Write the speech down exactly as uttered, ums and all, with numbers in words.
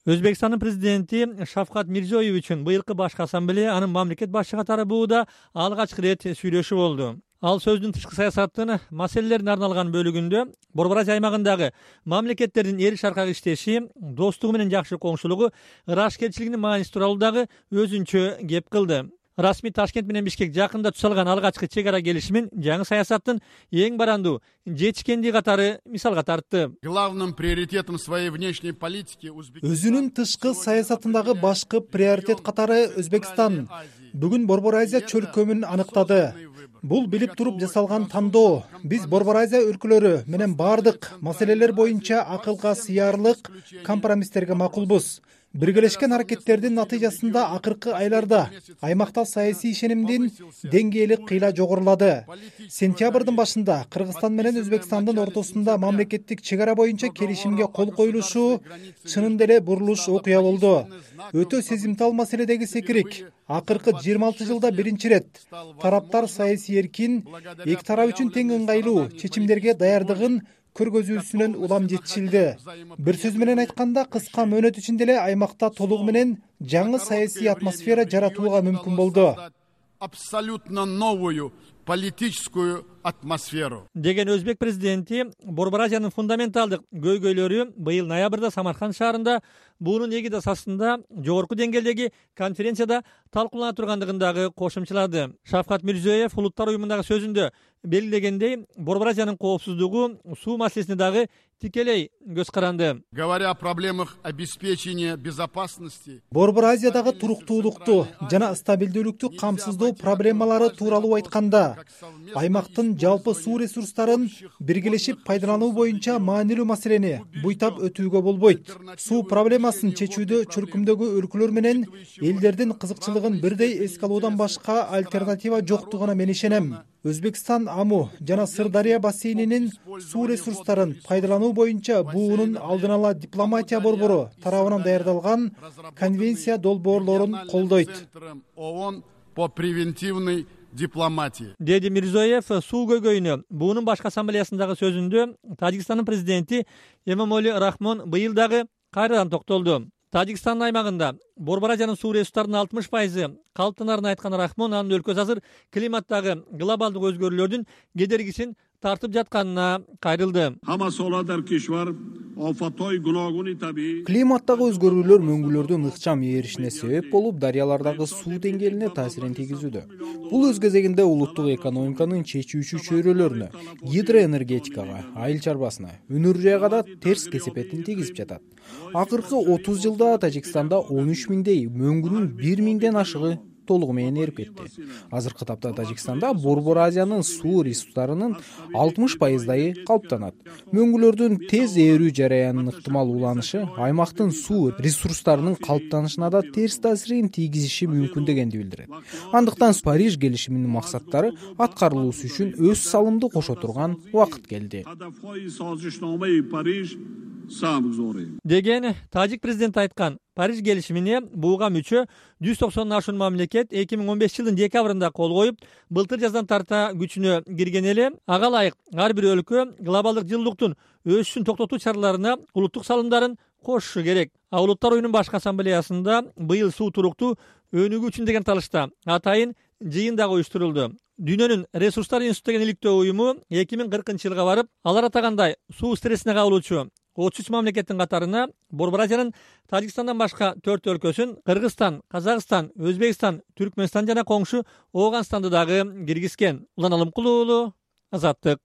Өзбекстандын президенти Шавкат Мирзиёевичтин быйылкы башкы ассамблея анын мамлекет башчы катары бууда алгачкы ирет сүйлөшү болду. Ал сөздүн тышкы саясаттын маселелерине арналган бөлүгүндө Борбор Азия аймагындагы мамлекеттердин эл шаркак иштеши, достугу менен жакшы коңшулугу, ырашкерчилигинин мааниси тууралуу дагы өзүнчө кеп кылды. Расмий Ташкент менен Бишкек жакында тусалган алгачкы чек ара келишимин жаңы саясаттын эң барандуу жетишкендиги катары мисалга тартты. Главным приоритетом своей внешней политики өзүнүн тышкы саясатындагы башкы приоритет катары Өзбекстан бүгүн Борбор Азия чөлкөмүн аныктады. Бул билип туруп жасалган тандоо. Биз Борбор Азия өлкөлөрү менен бардык маселелер боюнча акылга сыярлык компромисстерге макулбуз. Биргелешкен аракеттердин натыйжасында акыркы айларда аймакта саясий ишенимдин деңгээли кыйла жогорулады. Сентябрдын башында Кыргызстан менен Өзбекстандын ортосунда мамлекеттик чек ара боюнча келишимге кол коюлушу чынында эле бурулуш окуя болду. Өтө сезимтал маселедеги секирик. Акыркы жыйырма алты жылда биринчи ирет тараптар саясий эркин, эки тарап үчүн тең ыңгайлуу чечимдерге даярдыгын көргөзүүсүнөн улам жетишилди. Бир сөз менен айтканда, кыска мөөнөт ичинде эле аймакта толугу менен жаңы саясий атмосфера жаратууга мүмкүн болду. Абсолютно новую политическую атмосферу. Деген өзбек президенти Борбор Азиянын фундаменталдык көйгөйлөрү быйыл ноябрда Самарканд шаарында буунун эгидасы астында жогорку деңгээлдеги конференцияда талкуулана тургандыгын дагы кошумчалады. Шавкат Мирзиёев улуттар уюмундагы сөзүндө белгилегендей, Борбор Азиянын коопсуздугу, суу маселесине дагы тикелей көз каранды. Говоря о проблемах обеспечения безопасности, Борбор Азиядагы туруктуулукту жана стабилдүүлүктү камсыздоо проблемалары тууралуу айтканда, аймактын жалпы суу ресурстарын биргелешип пайдалануу боюнча маанилүү маселени буйтап өтүүгө болбойт. Суу проблемасын чечүүдө чөлкөмдөгү өлкөлөр менен элдердин кызыкчылыгын бирдей эске алуудан башка альтернатива жоктугуна мен ишенем. Өзбекстан Аму жана Сырдария бассейнинин суу ресурстарын пайдалануу боюнча буунун алдын ала дипломатия борбору тарабынан даярдалган конвенция долбоорлорун колдойт. ООН по превентивной дипломатии. Деди Мирзиёев суу көйгөйүнө буунун башкы ассамблеясындагы сөзүндө Тажикстандын президенти Эмомали Рахмон быйыл дагы кайрадан токтолду. Тажикстандын аймагында Борбор Азиянын суу ресурстарынын алтымыш пайызы калыптанарын айткан Рахмон анын өлкөсү азыр климаттагы глобалдык өзгөрүүлөрдүн кедергисин тартып жатканына кайрылды. Климаттагы өзгөрүүлөр мөңгүлөрдүн ыкчам ээришине себеп болуп, дарыялардагы суу деңгээлине таасирин тийгизүүдө. Бул өз кезегинде улуттук экономиканын чечүүчү чөйрөлөрүнө, гидроэнергетикага, айыл чарбасына, өнөр жайга да терс кесепетин тийгизип жатат. Акыркы отуз жылда Тажикстанда он үч миңдей, мөңгүнүн бир миңден ашыгы толугу менен эрип кетти. Азыркы тапта Тажикстанда Борбор Азиянын суу ресурстарынын алтымыш пайыздайы калыптанат. Мөңгүлөрдүн тез ээрүү жараянынын ыктымал уланышы аймактын суу ресурстарынын калыптанышына да терс таасирин тийгизиши мүмкүн дегенди билдирет. Андыктан Париж келишиминин максаттары аткарылуусу үчүн өз салымды кошо турган убакыт келди. Деген тажик президенти айткан. Париж келишимине буга мүчө жүз токсондон ашуун мамлекет эки миң он бешинчи жылдын декабрында кол коюп, былтыр жаздан тарта күчүнө кирген эле. Ага ылайык ар бир өлкө глобалдык жылуулуктун өсүшүн токтотуу чараларына улуттук салымдарын кошушу керек. А улуттар уюмунун башкы ассамблеясында быйыл суу туруктуу өнүгүү үчүн деген талышта атайын жыйын дагы уюштурулду. Дүйнөнүн ресурстар институту деген иликтөө уюму эки миң кыркынчы жылга барып, алар атагандай суу стрессине кабылуучу отуз үч мамлекеттин катарына Борбор Азиянын Тажикстандан башка төрт өлкөсүн Кыргызстан, Казакстан, Өзбекстан, Түркмөнстан жана коңшу Ооганстанды дагы киргизген. Улан Алымкулуу, Азаттык.